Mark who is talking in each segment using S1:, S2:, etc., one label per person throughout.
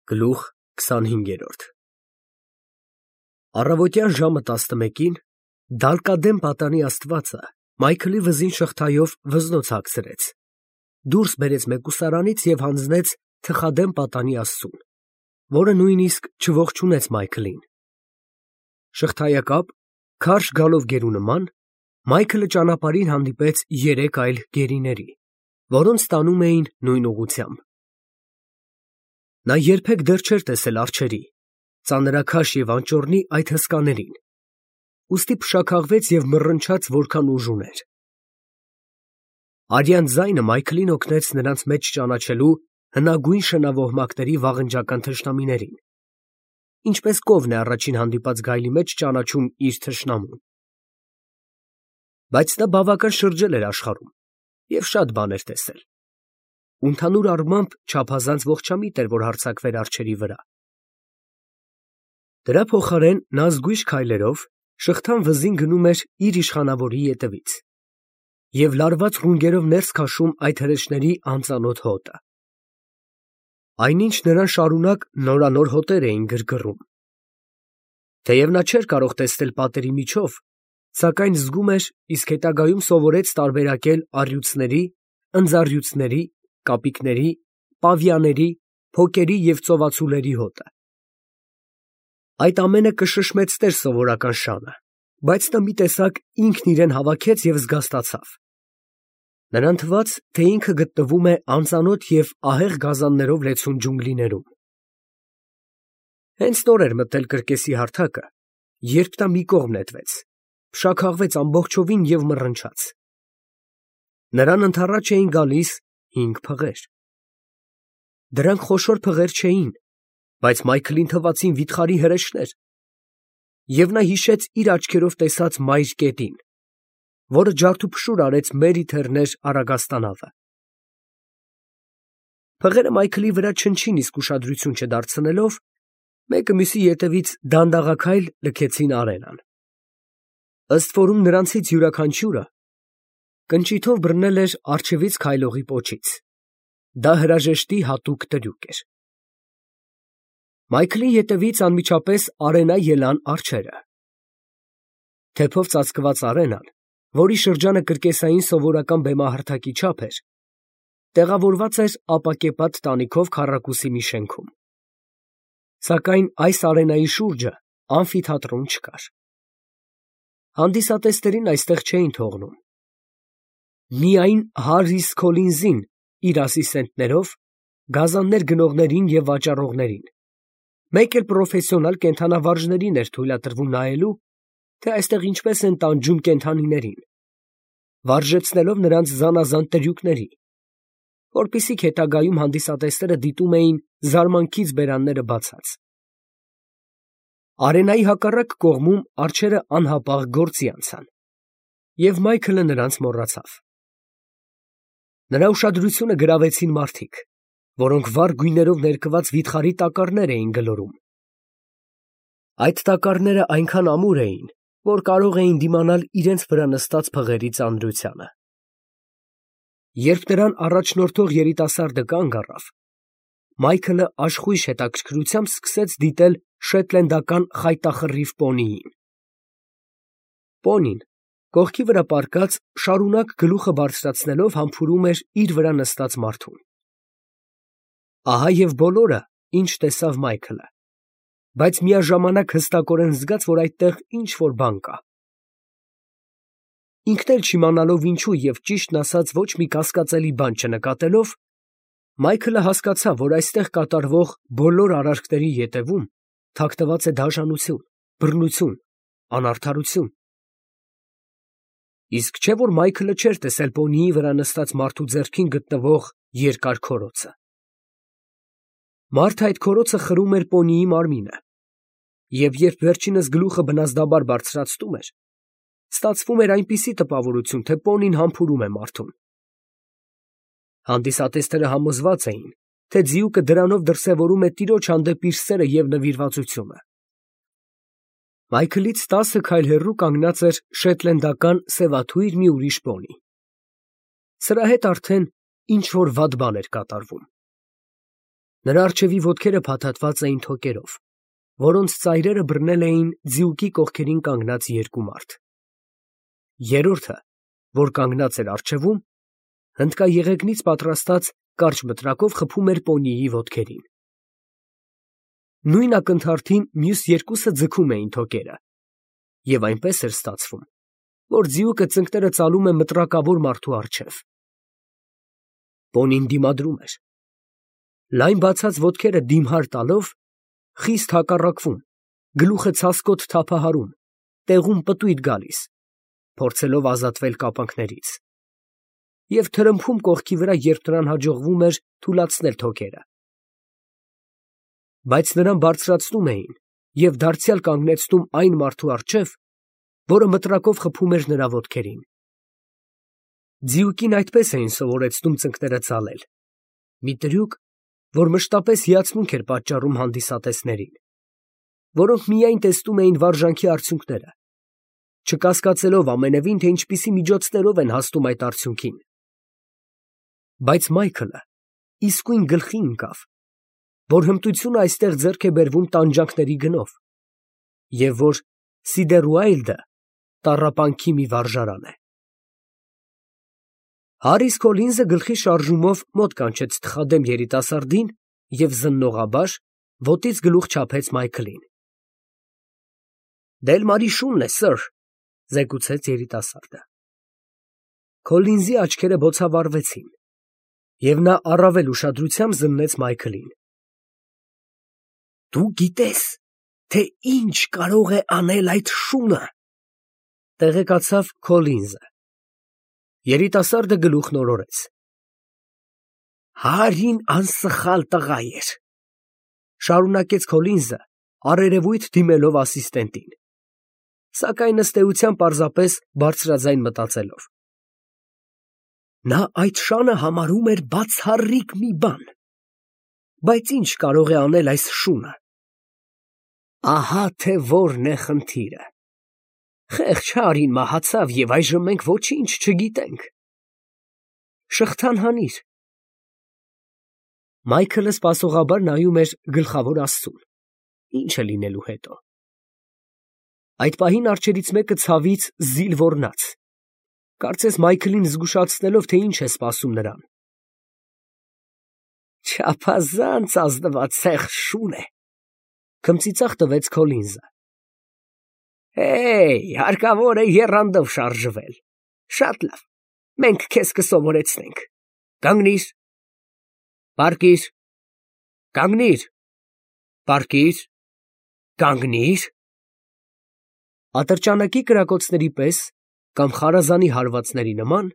S1: Գլուխ 25 Առավոտյան ժամը 11-ին դալկադեմ պատանի աստվածը Մայքլի վզին շղթայով վզնոց հագցրեց, դուրս բերեց մեկուսարանից և հանձնեց թխադեմ պատանի աստծուն, որը նույնիսկ չողջունեց Մայքլին։ Շղթայակապ, քարշ գալով գերու նման, Մայքլը ճանապարհին հանդիպեց երեք այլ գերիների, որոնց տանում էին նույն ուղղությամբ։ Նա երբեք դեռ չէր տեսել արջերի, ծանրաքաշ և անճոռնի այդ հսկաներին, ուստի փշաքաղվեց և մռնչաց որքան ուժ ուներ։ Արյան ձայնը Մայքլին օգնեց նրանց մեջ ճանաչելու հնագույն շնավոհմակների վաղնջական թշնամիներին, ինչպես կովն է առաջին հանդիպած գայլի մեջ ճանաչում իր թշնամուն։ Բայց նա բավական շրջել էր աշխարհում և շատ բան էր տեսել, ու ընդհանուր առմամբ չափազանց ողջամիտ էր, որ հարձակվեր արջերի վրա։ Դրա փոխարեն նա զգույշ քայլերով շղթան վզին գնում էր իր իշխանավորի ետևից և լարված ռունգերով ներս քաշում այդ հրեշների անծանոթ հոտը։ Այնինչ նրան շարունակ նորանոր հոտեր էին գրգռում։ Թեև նա չէր կարող տեսնել պատերի միջով, սակայն զգում էր, իսկ հետագայում սովորեց տարբերակել առյուծների, ընձառյուծների, կապիկների, պավիաների, փոկերի և ծովածուլերի հոտը։ Այդ ամենը կշշմեցներ սովորական շանը, բայց նա մի տեսակ ինքն իրեն հավաքեց և զգաստացավ։ Նրան թվաց, թե ինքը գտնվում է անծանոթ և ահեղ գազաններով լեցուն ջունգլիներում։ Հենց նոր էր մտել կրկեսի հարթակը, երբ նա մի կողմ նետվեց, փշաքաղվեց ամբողջովին և մռնչաց։ Նրան ընդառաջ էին գալիս 5 փղեր։ Դրանք խոշոր փղեր չէին, բայց Մայքլին թվացին վիթխարի հրեշներ, և նա հիշեց իր աչքերով տեսած մայր կետին, որը ջարդուփշուր արեց մերի թեռներ առագաստանավը։ Փղերը Մայքլի վրա չնչին իսկ ուշադրություն չդարձնելով, մեկը մյուսի ետևից դանդաղաքայլ լքեցին արենան։ Ըստ որում նրանցից յուրաքանչյուրը կնճիթով բռնել էր առջևից քայլողի պոչից։ Դա հրաժեշտի հատուկ տրյուկ էր։ Մայքլի ետևից անմիջապես արենա ելան արջերը։ Թեփով ծածկված արենան, որի շրջանը կրկեսային սովորական բեմահարթակի չափ էր, տեղավորված էր ապակեպատ տանիքով քառակուսի մի շենքում։ Սակայն այս արենայի շուրջը ամֆիթատրոն չկար։ Հանդիսատեսներին այստեղ չէին թողնում։ Միայն Հարրիս Քոլինզին իր ասիստենտներով, գազաններ գնողներին և վաճառողներին, մեկ էլ պրոֆեսիոնալ կենդանավարժներին էր թույլատրվում նայելու, թե այստեղ ինչպես են տանջում կենդանիներին, վարժեցնելով նրանց զանազան տրյուկների, որպեսզի հետագայում հանդիսատեսները դիտում էին զարմանքից բերանները բացած։ Արենայի հակառակ կողմում արջերը անհապաղ գործի անցան, և Մայքլը նրանց մոռացավ։ Նրա ուշադրությունը գրավեցին մարդիկ, որոնք վառ գույներով ներկված վիթխարի տակառներ էին գլորում։ Այդ տակառները այնքան ամուր էին, որ կարող էին դիմանալ իրենց վրա նստած փղերի ծանրությանը։ Երբ նրան առաջնորդող երիտասարդը կանգ առավ, Մայքլը աշխույժ հետաքրքրությամբ սկսեց դիտել շետլենդական խայտախռիվ պոնիին։ Պոնին, կողքի վրա պառկած, շարունակ գլուխը բարձրացնելով համբուրում էր իր վրա նստած մարդուն։ Ահա և բոլորը, ինչ տեսավ Մայքլը, բայց միաժամանակ հստակորեն զգաց, որ այդտեղ ինչ֊որ բան կա։ Ինքն էլ չիմանալով ինչու և ճիշտն ասած ոչ մի կասկածելի բան չնկատելով, Մայքլը հասկացավ, որ այստեղ կատարվող բոլոր արարքների ետևում թաքնված է դաժանություն, բռնություն, անարդարություն։ Իսկ չէ՞ որ Մայքլը չէր տեսել պոնիի վրա նստած մարդու ձեռքին գտնվող երկար քորոցը։ Մարդը այդ քորոցը խրում էր պոնիի մարմինը, և երբ վերջինս գլուխը բնազդաբար բարձրացնում էր, ստացվում էր այնպիսի տպավորություն, թե պոնին համբուրում է մարդուն։ Հանդիսատեսները համոզված էին, թե ձիուկը դրանով դրսևորում է տիրոջ հանդեպ իր սերը և նվիրվածությունը։ Մայքլից 10 քայլ հեռու կանգնած էր շետլենդական սևաթույր մի ուրիշ պոնի։ Սրա հետ արդեն ինչ֊որ վատ բան էր կատարվում։ Նրա առջևի ոտքերը փաթաթված էին թոկերով, որոնց ծայրերը բռնել էին ձիուկի կողքերին կանգնած երկու մարդ։ Երրորդը, որ կանգնած էր առջևում, հնդկաեղեգնից պատրաստած կարճ մտրակով խփում էր պոնիի ոտքերին։ Նույն ակնթարթին մյուս երկուսը ձգում էին թոկերը, և այնպես էր ստացվում, որ ձիուկը ծնկները ծալում է մտրակավոր մարդու առջև։ Պոնին դիմադրում էր։ Լայն բացած ոտքերը դիմհար տալով, խիստ հակառակվում, գլուխը ցասկոտ թափահարում, տեղում պտույտ գալիս, փորձելով ազատվել կապանքներից, և թրմփում կողքի վրա, երբ նրան հաջողվում էր թուլացնել թոկերը։ Բայց նրան բարձրացնում էին և դարձյալ կանգնեցնում այն մարդու առջև, որը մտրակով խփում էր նրա ոտքերին։ Ձիուկին այդպես էին սովորեցնում ծնկները ծալել, մի տրյուկ, որ մշտապես հիացմունք էր պատճառում հանդիսատեսներին, որոնք միայն տեսնում էին վարժանքի արդյունքները, չկասկածելով ամենևին, թե ինչպիսի միջոցներով են հասնում այդ արդյունքին։ Բայց Մայքլը իսկույն գլխի ընկավ, որ հմտությունը այստեղ ձեռք է բերվում տանջանքների գնով, և որ Սիդերուայլդը տառապանքի մի վարժարան է։ Հարիս Քոլինզը գլխի շարժումով մոտ կանչեց թխադեմ երիտասարդին և զննողաբար ոտից գլուխ չափեց Մայքլին։ «Դելմարի շունն է, սըր», զեկուցեց երիտասարդը։ Քոլինզի աչքերը բոցավառվեցին, և նա առավել ուշադրությամբ զննեց Մայքլին։ «Դու գիտես, թե ինչ կարող է անել այդ շունը», տեղեկացավ Քոլինզը։ Երիտասարդը գլուխն օրորեց։ «Հարին անսխալ տղա էր», շարունակեց Քոլինզը, առերևույթ դիմելով ասիստենտին, սակայն ըստ էության պարզապես բարձրաձայն մտածելով։ Նա այդ շանը համարում էր բացառիկ մի բան, բայց ինչ կարող է անել այս շունը։ Ահա թե որն է խնդիրը։ Խեղճ Հարին մահացավ, և այժմ մենք ոչինչ չգիտենք։ Շղթան հանիր։ Մայքլը սպասողաբար նայում էր գլխավոր աստծուն, ինչ է լինելու հետո։ Այդ պահին արջերից մեկը ցավից զիլ ոռնաց, կարծես Մայքլին զգուշացնելով, թե ինչ է սպասում նրան։ Չափազանց ազնվացեղ շուն է, քմծիծաղ տվեց Քոլինզը։ Հարկավոր է եռանդով շարժվել։ Շատ լավ, մենք քեզ կսովորեցնենք։ Կանգնիր։ Պառկիր։ Կանգնիր։ Պառկիր։ Կանգնիր։ Ատրճանակի կրակոցների պես կամ խարազանի հարվածների նման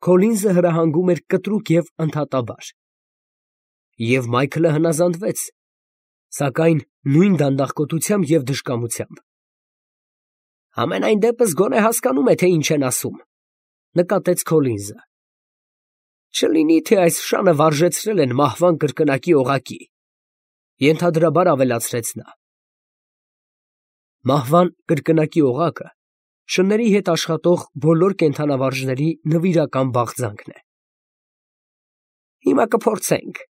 S1: Քոլինզը հրահանգում էր կտրուկ և ընդհատաբար։ Եվ Մայքլը հնազանդվեց, սակայն նույն դանդաղկոտությամբ և դժկամությամբ։ Համենայն դեպս գոնե հասկանում է, թե ինչ են ասում, նկատեց Քոլինզը։ Չլինի, թե այս շանը վարժեցրել են մահվան կրկնակի օղակի, ենթադրաբար ավելացրեց նա։ Մահվան կրկնակի օղակը շների հետ աշխատող բոլոր կենդանավարժների նվիրական բաղձանքն է։ Հիմա կփորձենք։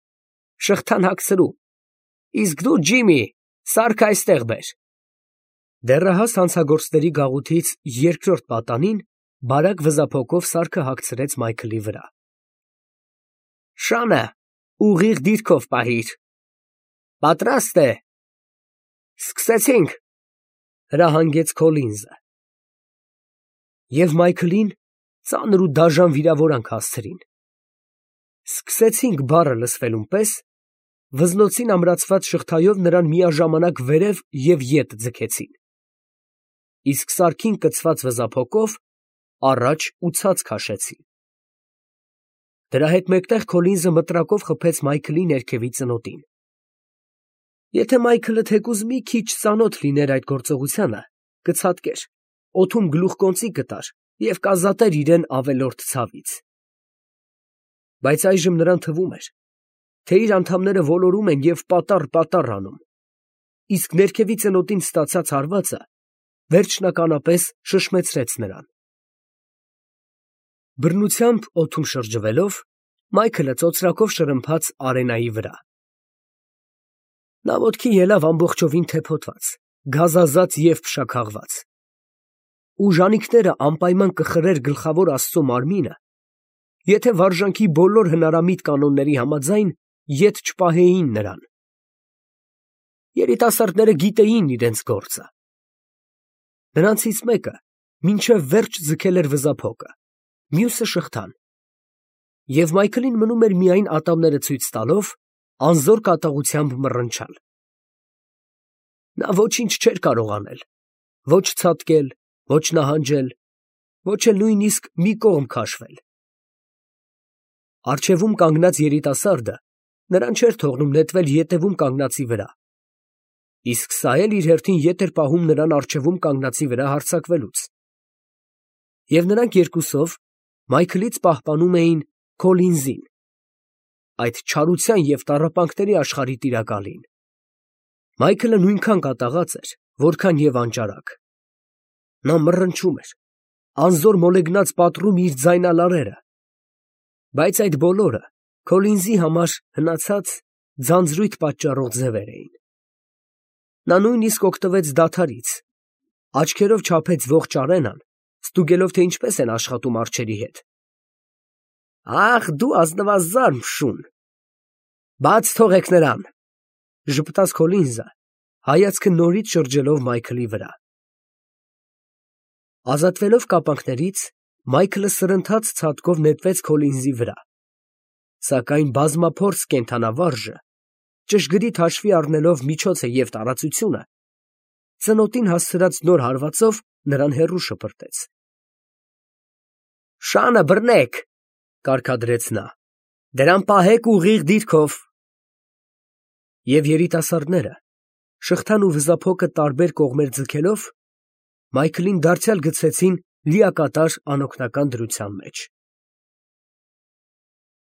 S1: Շղթան հագցրու։ Իսկ դու, Ջիմի, սարքը այստեղ բեր։ Դեռահաս հանցագործների գաղութից երկրորդ պատանին բարակ վզափոկով սարքը հագցրեց Մայքլի վրա։ Շանը ուղիղ դիրքով պահիր։ Պատրաստ է։ Սկսեցինք, հրահանգեց Քոլինզը։ Եվ Մայքլին ծանր ու դաժան վիրավորանք հասցրին։ Սկսեցինք բառը լսվելուն պես վզնոցին ամրացված շղթայով նրան միաժամանակ վերև և ետ ձգեցին, իսկ սարքին կցված վզափոկով առաջ ու ցած քաշեցին։ Դրա հետ մեկտեղ Քոլինզը մտրակով խփեց Մայքլի ներքևի ծնոտին։ Եթե Մայքլը թեկուզ մի քիչ ծանոթ լիներ այդ գործողությանը, կցատկեր, օդում գլուխկոնծի կտար և կազատեր իրեն ավելորդ ցավից։ Բայց այժմ նրան թվում էր, թե իր անդամները ոլորում են և պատառ անում, իսկ ներքևի ծնոտին ստացած հարվածը վերջնականապես շշմեցրեց նրան։ Բռնությամբ օդում շրջվելով, Մայքլը ծոծրակով շրմփաց արենայի վրա, Նա ոտքի ելավ ամբողջովին թեփոտված, գազազած և փշաքաղված։ Ուժանիքները անպայման կխրեր գլխավոր Աստծո մարմինը, եթե վարժանքի բոլոր հնարամիտ կանոնների համաձայն ետ չպահեին նրան։ Երիտասարդները գիտեին իրենց գործը։ Նրանցից մեկը մինչև վերջ ձգել էր վզափոկը, մյուսը շղթան, և Մայքլին մնում էր միայն ատամները ցույց տալով, անզոր կատաղությամբ մռնչալ։ Նա ոչինչ չէր կարող անել, ոչ ցատկել, ոչ նահանջել, ոչ էլ նույնիսկ մի կողմ քաշվել։ Առջևում կանգնած երիտասարդը նրան չէր թողնում նետվել ետևում կանգնածի վրա, իսկ սա էլ իր հերթին ետ էր պահում նրան առջևում կանգնածի վրա հարձակվելուց։ Եվ նրանք երկուսով Մայքլից պահպանում էին Քոլինզին, այդ չարության և տառապանքների աշխարհի տիրակալին։ Մայքլը նույնքան կատաղած էր, որքան և անճարակ։ Նա մռնչում էր, անզոր մոլեգնած պատռում իր ձայնալարերը, բայց այդ բոլորը Քոլինզի համար հնացած ձանձրույթ պատճառող ձևեր էին։ Նա նույնիսկ օգտվեց դադարից, աչքերով չափեց ողջ արենան, ստուգելով, թե ինչպես են աշխատում արջերի հետ։ «Ախ, դու ազնվազարդ շուն, բաց թողեք նրան», ֊ ժպտաց Քոլինզը, հայացքը նորից շրջելով Մայքլի վրա։ Ազատվելով կապանքներից, Մայքլը սրընթաց ցատկով նետվեց Քոլինզի վրա, սակայն բազմափորձ կենդանավարժը, ճշգրիտ հաշվի առնելով միջոցը և տարածությունը, ծնոտին հասցրած նոր հարվածով նրան հեռու շպրտեց։ «Շանը բռնեք», ֊ կարգադրեց նա, ֊ «դրան պահեք ուղիղ դիրքով»։ Եվ երիտասարդները, շղթան ու վզափոկը տարբեր կողմեր ձգելով, Մայքլին դարձյալ գցեցին լիակատար անօգնական դրության մեջ։